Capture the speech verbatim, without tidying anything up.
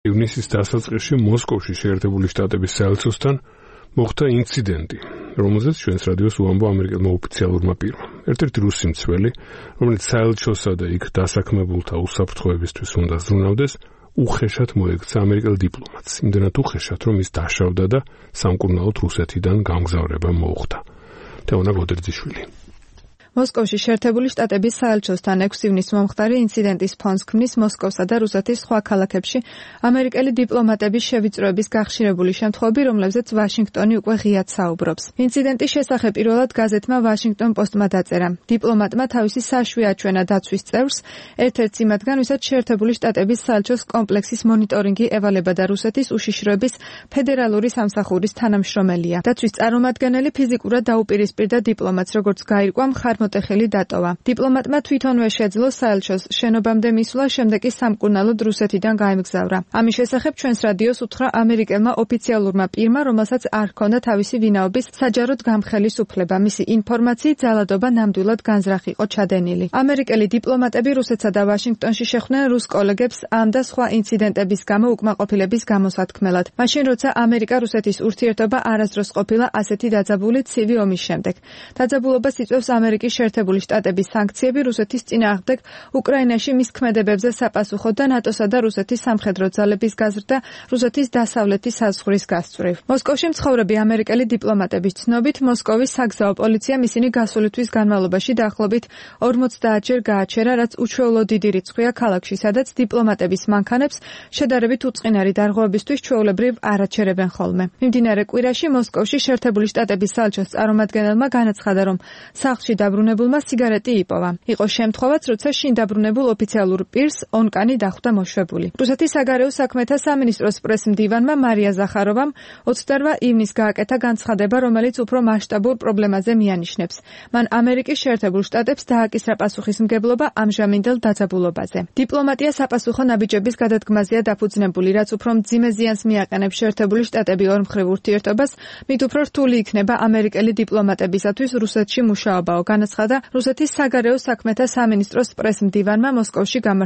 ივნისის დასაწყისში მოსკოვში შეერთებული შტატების საელჩოსთან მოხდა ინციდენტი, რომელზეც ჩვენს რადიოს უამბო ამერიკელმა ოფიციალურმა პირმა. ერთ-ერთი რუსი მცველი, რომელიც საელჩოსა და იქ დასაქმებულთა უსაფრთხოებისთვის უნდა ზრუნავდეს, უხეშად მოექცა ამერიკელ დიპლომატს. იმდენად უხეშად, რომ ის დაშავდა და სამკურნალოდ რუსეთიდან გამგზავრება მოუხდა. თეონა გოდერძიშვილი. მოსკოვში შეერთებული შტატების საელჩოსთან ექვსი ივნისს მომხდარი ინციდენტის ფონს ქმნის მოსკოვსა და რუსეთის სხვა ქალაქებში ამერიკელი დიპლომატების შევიწროების გახშირებული შემთხვევები, რომლებზეც ვაშინგტონი უკვე ღიად საუბრობს. ინციდენტის შესახებ პირველად გაზეთმა Washington Post-მა დაწერა. დიპლომატმა თავისი საშვი აჩვენა დაცვის წევრს, ერთ-ერთს იმათგან, ვისაც შეერთებული შტატების საელჩოს კომპლექსის მონიტორინგი ევალება და რუსეთის უშიშროების ფედერალური სამსახურის თანამშრომელია. დაცვის წარმომადგენელი ფიზიკურად დაუპირისპირდა დიპლომატს, როგორც გაირკვა მოტეხილი დატოვა. დიპლომატმა თვითონვე შეძლო საელჩოს შენობამდე მისვლა, შემდეგ კი სამკურნალოდ რუსეთიდან გაემგზავრა. ამის შესახებ ჩვენს რადიოს უთხრა ამერიკელმა ოფიციალურმა პირმა, რომელსაც არ ჰქონდა თავისი ვინაობის საჯაროდ გამხელის უფლება. მისი ინფორმაციით ძალადობა ნამდვილად განზრახ იყო ჩადენილი. ამერიკელი დიპლომატები რუსეთსა და ვაშინგტონში შეხვდნენ რუს კოლეგებს ამ და სხვა ინციდენტების გამო უკმაყოფილების გამოსათქმელად. მაშინ, როცა ამერიკა-რუსეთის ურთიერთობა არასდროს ყოფილა ასეთი დაძაბული ცივი ომის შემდეგ. დაძაბულობას იწვევს ამერიკის შეერთებული შტატების სანქციები რუსეთის წინააღმდეგ უკრაინაში მის ქმედებებზე საპასუხოდ და ნატოსა და რუსეთის სამხედრო ძალების გაზრდა რუსეთის დასავლეთის საზღვრის გასწვრივ. მოსკოვში მცხოვრები ამერიკელი დიპლომატების ცნობით, მოსკოვის საგზაო პოლიციამ ისინი გასული თვის განმავლობაში დაახლოებით ორმოცდაათჯერ გააჩერა, რაც უჩვეულო დიდი რიცხვია ქალაქში, სადაც დიპლომატების მანქანებს შედარებით უწყინარი დარღვევებისთვის ჩვეულებრივ არ აჩერებენ ხოლმე. მიმდინარე კვირაში მოსკოვში შეერთებული შტატების საელჩოს წარმომადგენელმა განაცხადა, რომ სახლში დაბრუნებულმა სიგარეტი იპოვა. იყო შემთხვევაც, როცა შინ დაბრუნებულ ოფიციალურ პირს ონკანი დახვდა მოშვებული. რუსეთის საგარეო საქმეთა სამინისტროს პრეს-მდივანმა მარია ზახაროვამ ოცდარვა ივნისს გააკეთა განცხადება, რომელიც უფრო მასშტაბურ პრობლემაზე მიანიშნებს. მან ამერიკის შეერთებულ შტატებს დააკისრა პასუხისმგებლობა ამჟამინდელ დაძაბულობაზე. დიპლომატია საპასუხო ნაბიჯების გადადგმაზეა დაფუძნებული, რაც უფრო მძიმე ზიანს მიაყენებს შეერთებული შტატები ორმხრივ ურთიერთობას, მით უფრო რთული იქნება ამერიკელი დიპლომატებისათვის რუსეთში მუშაობა. განაცხადა რუსეთის საგარეო საქმეთა სამინისტროს პრეს-მდივანმა მოსკოვში გამართულ